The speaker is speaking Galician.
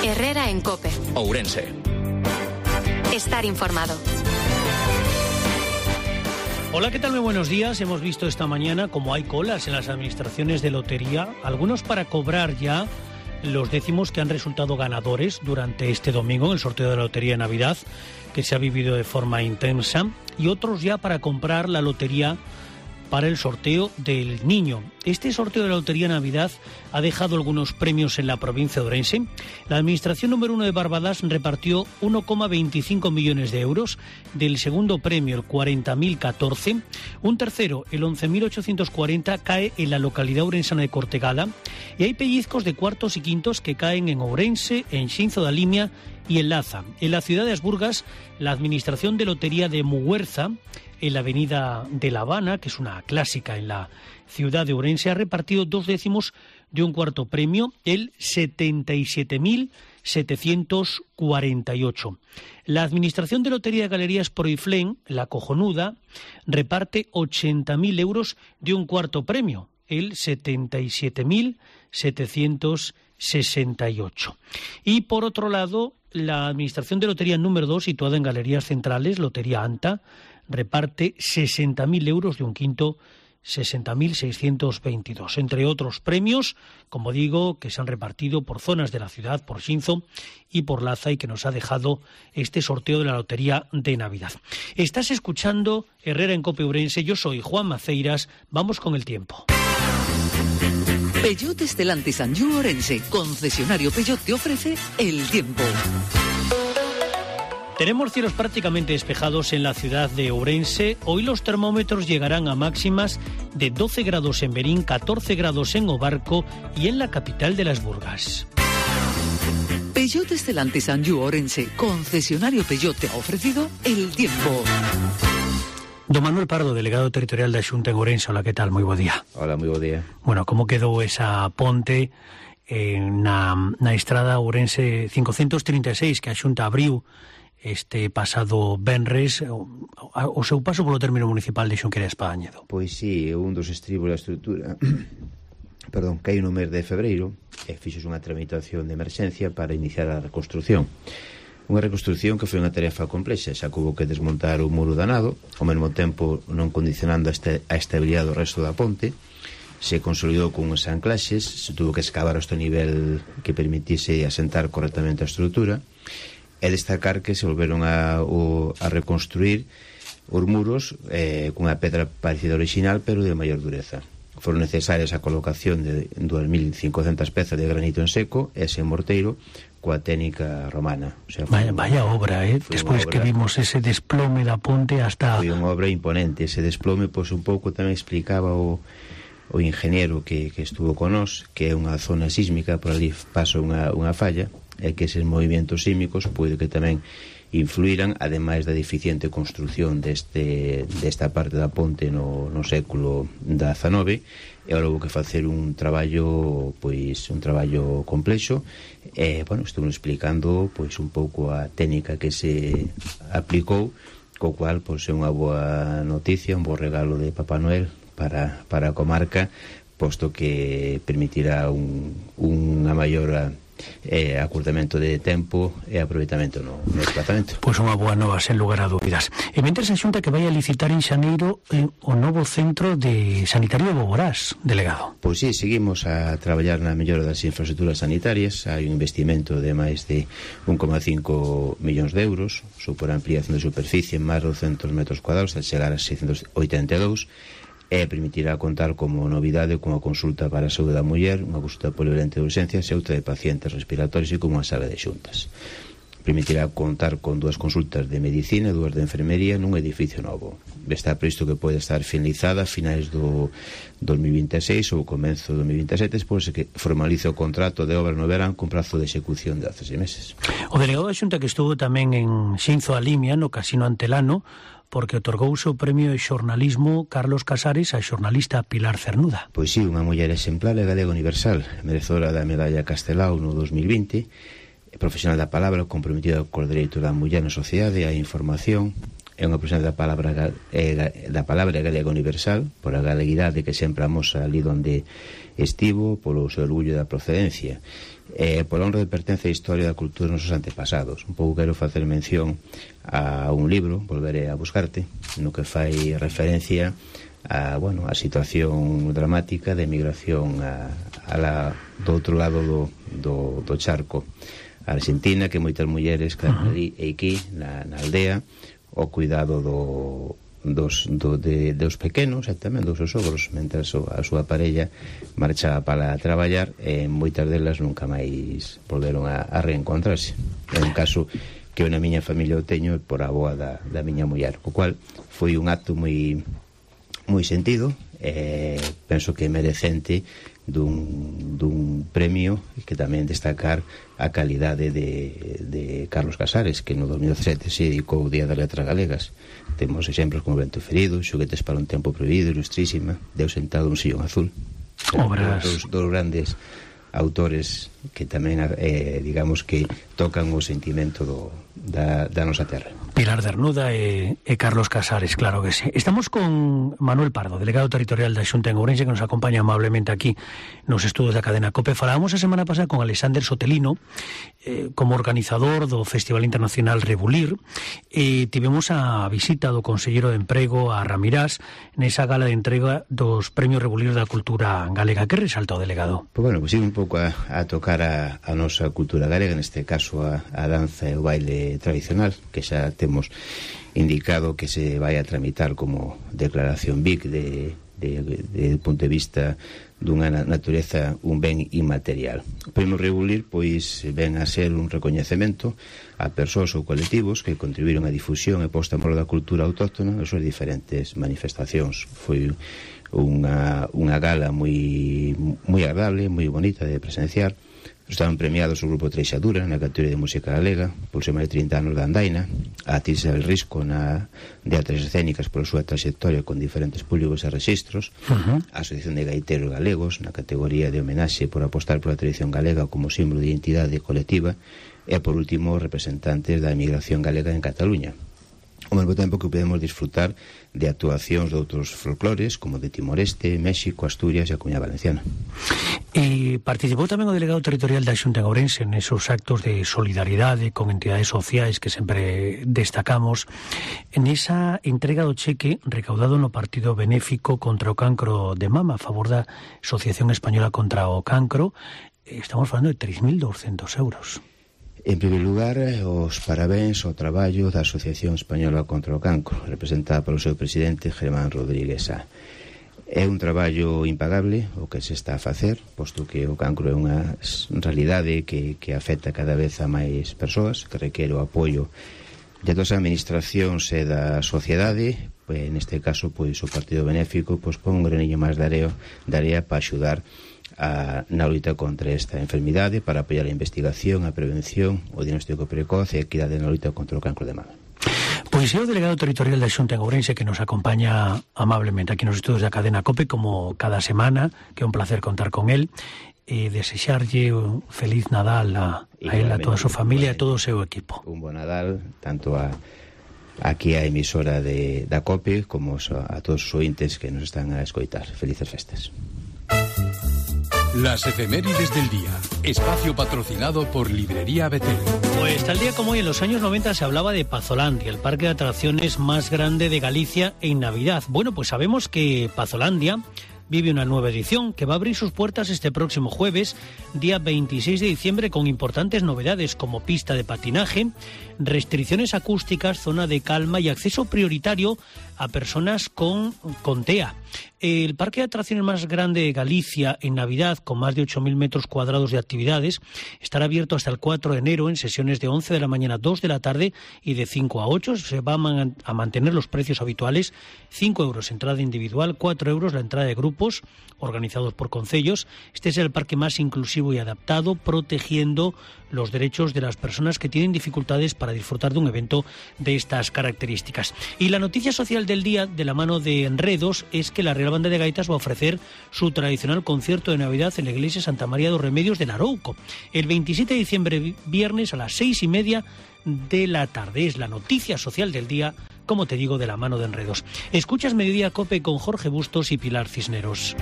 Herrera en COPE. Ourense. Estar informado. Hola, ¿qué tal? Muy buenos días. Hemos visto esta mañana cómo hay colas en las administraciones de lotería, algunos para cobrar ya los décimos que han resultado ganadores durante este domingo en el sorteo de la Lotería de Navidad, que se ha vivido de forma intensa, y otros ya para comprar la lotería para el sorteo del niño. Este sorteo de la Lotería de Navidad ha dejado algunos premios en la provincia de Ourense. La administración número 1 de Barbadas repartió 1,25 millones de euros. Del segundo premio, el 40.014. Un tercero, el 11.840, cae en la localidad ourensana de Cortegada. Y hay pellizcos de cuartos y quintos que caen en Ourense, en Xinzo da Limia y en Laza. En la ciudad de Asburgas, la administración de lotería de Muguerza, en la avenida de La Habana, que es una clásica en la ciudad de Ourense, ha repartido 2 décimos de un cuarto premio, el 77.748. La administración de lotería de Galerías Proiflén, la cojonuda, reparte 80.000 euros de un cuarto premio, el 77.768. Y por otro lado, la administración de lotería número 2, situada en Galerías Centrales, Lotería Anta, reparte 60.000 euros de un quinto, 60.622, entre otros premios, como digo, que se han repartido por zonas de la ciudad, por Xinzo y por Laza, y que nos ha dejado este sorteo de la Lotería de Navidad. Estás escuchando Herrera en COPE Ourense, yo soy Juan Maceiras, vamos con el tiempo. Peugeot Stellantis Anjou Ourense, concesionario Peugeot, te ofrece el tiempo. Tenemos cielos prácticamente despejados en la ciudad de Ourense. Hoy los termómetros llegarán a máximas de 12 grados en Berín, 14 grados en Obarco y en la capital de las Burgas. Peugeot Stellantis Anjou Ourense, concesionario Peugeot, te ha ofrecido el tiempo. Don Manuel Pardo, delegado territorial da Xunta en Ourense. Hola, ¿qué tal? Muy buen día. Hola, muy buen día. Bueno, como quedou esa ponte na estrada Ourense 536 que a Xunta abriu este pasado venres o seu paso polo término municipal de Xunquera Espadañedo? Pois sí, un dos estribos da estrutura caí no mes de febreiro e fixos unha tramitación de emerxencia para iniciar a reconstrucción. Unha reconstrucción que foi unha tarefa complexa, xa que houve que desmontar o muro danado, ao mesmo tempo non condicionando a estabilidade do resto da ponte. Se consolidou con unhas anclaxes, se tuvo que excavar este nivel que permitise asentar correctamente a estrutura, e destacar que se volveron a reconstruir os muros con unha pedra parecida original, pero de maior dureza. Foron necesarias a colocación de 2.500 pezas de granito en seco e ese morteiro coa técnica romana. O sea, vaya obra, despois que vimos ese desplome da ponte hasta... Foi unha obra imponente. Ese desplome, pois un pouco tamén explicaba o ingeniero que estuvo con nós, que é unha zona sísmica, por ali pasa unha falla, e que eses movimentos sísmicos pode que tamén influíran, ademais da deficiente construcción desta parte da ponte no século XIX, e agora houve que facer un traballo complexo, e, bueno, estou explicando pois un pouco a técnica que se aplicou, co cual pois é unha boa noticia, un bo regalo de Papá Noel para a comarca, posto que permitirá unha maior acurtamento de tempo e aproveitamento no desplazamento. Pois unha boa nova, sen lugar a dúbidas. E mentres a Xunta que vai a licitar en xaneiro o novo centro de sanitario de Boborás, delegado. Pois sí, seguimos a traballar na mellora das infraestructuras sanitarias. Hai un investimento de máis de 1,5 millóns de euros, supor a ampliación de superficie en máis de 200 metros cuadrados, al chegar a 682, e permitirá contar como novidade con a consulta para a saúde da muller, unha consulta polivalente de urxencias e outra de pacientes respiratorios e con unha sala de xuntas. Permitirá contar con 2 consultas de medicina e 2 de enfermería nun edificio novo. Está previsto que pode estar finalizada a finais do 2026 ou comenzo do 2027, despois que formalice o contrato de obra no verán con prazo de execución de 16 meses. O delegado da Xunta que estuvo tamén en Xinzo da Limia, no Casino Antelano, porque otorgouse o premio de xornalismo Carlos Casares a xornalista Pilar Cernuda. Pois sí, unha muller exemplar e galega universal, merecedora da medalla Castelao no 2020, profesional da palabra, comprometida co dereito da muller na sociedade, a información, é unha aproximación da palabra galega universal, por a galeguidade que sempre amosa ali onde estivo, polo seu orgullo da procedencia, pola honra de pertenza á historia da cultura dos nosos antepasados. Un pouco quero facer mención a un libro, Volveré a buscarte, no que fai referencia a situación dramática de emigración do outro lado do charco, a Argentina, que moitas mulleres quedan ali e aquí na aldea o cuidado dos pequenos e tamén dos seus sogros, mentras a súa parella marchaba para traballar, e moitas delas nunca máis volveron a reencontrarse. É un caso que na miña familia o teño por a boa da miña muller, o cual foi un acto moi sentido, penso que merecente dun premio, que tamén destacar a calidade de Carlos Casares, que no 2017 se dedicou ao Día das Letras Galegas. Temos exemplos como Vento Ferido, Xoguetes para un tempo prohibido, Ilustrísima, Deus sentado un sillón azul. Obras. Dos grandes autores que tamén digamos que tocan o sentimento da nosa terra. Pilar Dernuda e Carlos Casares, claro que sí. Estamos con Manuel Pardo, delegado territorial da Xunta en Ourense, que nos acompaña amablemente aquí nos estudos da cadena COPE. Falábamos a semana pasada con Alexander Sotelino como organizador do Festival Internacional Rebulir, e tivemos a visita do conselleiro de Emprego a Ramirás nesa gala de entrega dos premios Rebulir da cultura galega. Que resalta o delegado? Pues ir un pouco a tocar a nosa cultura galega, neste caso a danza e o baile tradicional, que xa temos indicado que se vai a tramitar como declaración BIC de punto de vista dunha natureza un ben inmaterial. O premio Rebulir pois ven a ser un recoñecemento a persoas ou colectivos que contribuíron á difusión e posta en valor da cultura autóctona nas súas diferentes manifestacións. Foi unha gala moi agradable, moi bonita de presenciar. Estaban premiados o grupo Treixadura na categoría de música galega por ser máis de 30 anos da andaina, a Tirsa del Risco de artes escénicas por súa trayectoria con diferentes públicos e registros, a Asociación de Gaiteros Galegos na categoría de homenaxe por apostar pola tradición galega como símbolo de identidade colectiva, e por último representantes da emigración galega en Cataluña. Ao mesmo tempo que podemos disfrutar de actuacións de outros folclores como de Timor-Este, México, Asturias e a Comunidade Valenciana. E participou tamén o delegado territorial da Xunta en Ourense nesos actos de solidaridade con entidades sociais que sempre destacamos, nesa entrega do cheque recaudado no partido benéfico contra o cancro de mama a favor da Asociación Española contra o Cancro. Estamos falando de 3.200 euros. En primeiro lugar, os parabéns ao traballo da Asociación Española contra o Cancro, representada polo seu presidente Germán Rodríguez Sá. É un traballo impagable o que se está a facer, posto que o cancro é unha realidade que afecta cada vez a máis persoas, que requere o apoio de todas as administracións e da sociedade. Neste caso, pois, o Partido Benéfico pon un graniño máis de area para axudar na loita contra esta enfermidade, para apoiar a investigación, a prevención, o diagnóstico precoz e a equidade na loita contra o cancro de mama. Pois é o delegado territorial da Xunta en Ourense que nos acompaña amablemente aquí nos estudos da cadena COPE como cada semana, que é un placer contar con él, e desexarlle un feliz Nadal a él, a toda a súa familia e a todo o seu equipo. Un bon Nadal, tanto aquí a emisora da COPE como a todos os ointes que nos están a escoitar. Felices festas. Las efemérides del día. Espacio patrocinado por Librería Betel. Pues tal día como hoy, en los años 90, se hablaba de Pazolandia, el parque de atracciones más grande de Galicia en Navidad. Bueno, pues sabemos que Pazolandia vive una nueva edición que va a abrir sus puertas este próximo jueves, día 26 de diciembre, con importantes novedades como pista de patinaje, restricciones acústicas, zona de calma y acceso prioritario a personas con TEA. El parque de atracciones más grande de Galicia en Navidad, con más de 8.000 metros cuadrados de actividades, estará abierto hasta el 4 de enero en sesiones de 11 de la mañana a 2 de la tarde y de 5 a 8. Se van a mantener los precios habituales: 5 euros entrada individual, 4 euros la entrada de grupos organizados por concellos. Este es el parque más inclusivo y adaptado, protegiendo los derechos de las personas que tienen dificultades para disfrutar de un evento de estas características. Y la noticia social del día, de la mano de Enredos, es que la Real Banda de Gaitas va a ofrecer su tradicional concierto de Navidad en la iglesia Santa María dos Remedios de Larouco el 27 de diciembre, viernes, a las 6:30 de la tarde. Es la noticia social del día como te digo, de la mano de Enredos. Escuchas Mediodía Cope con Jorge Bustos y Pilar Cisneros.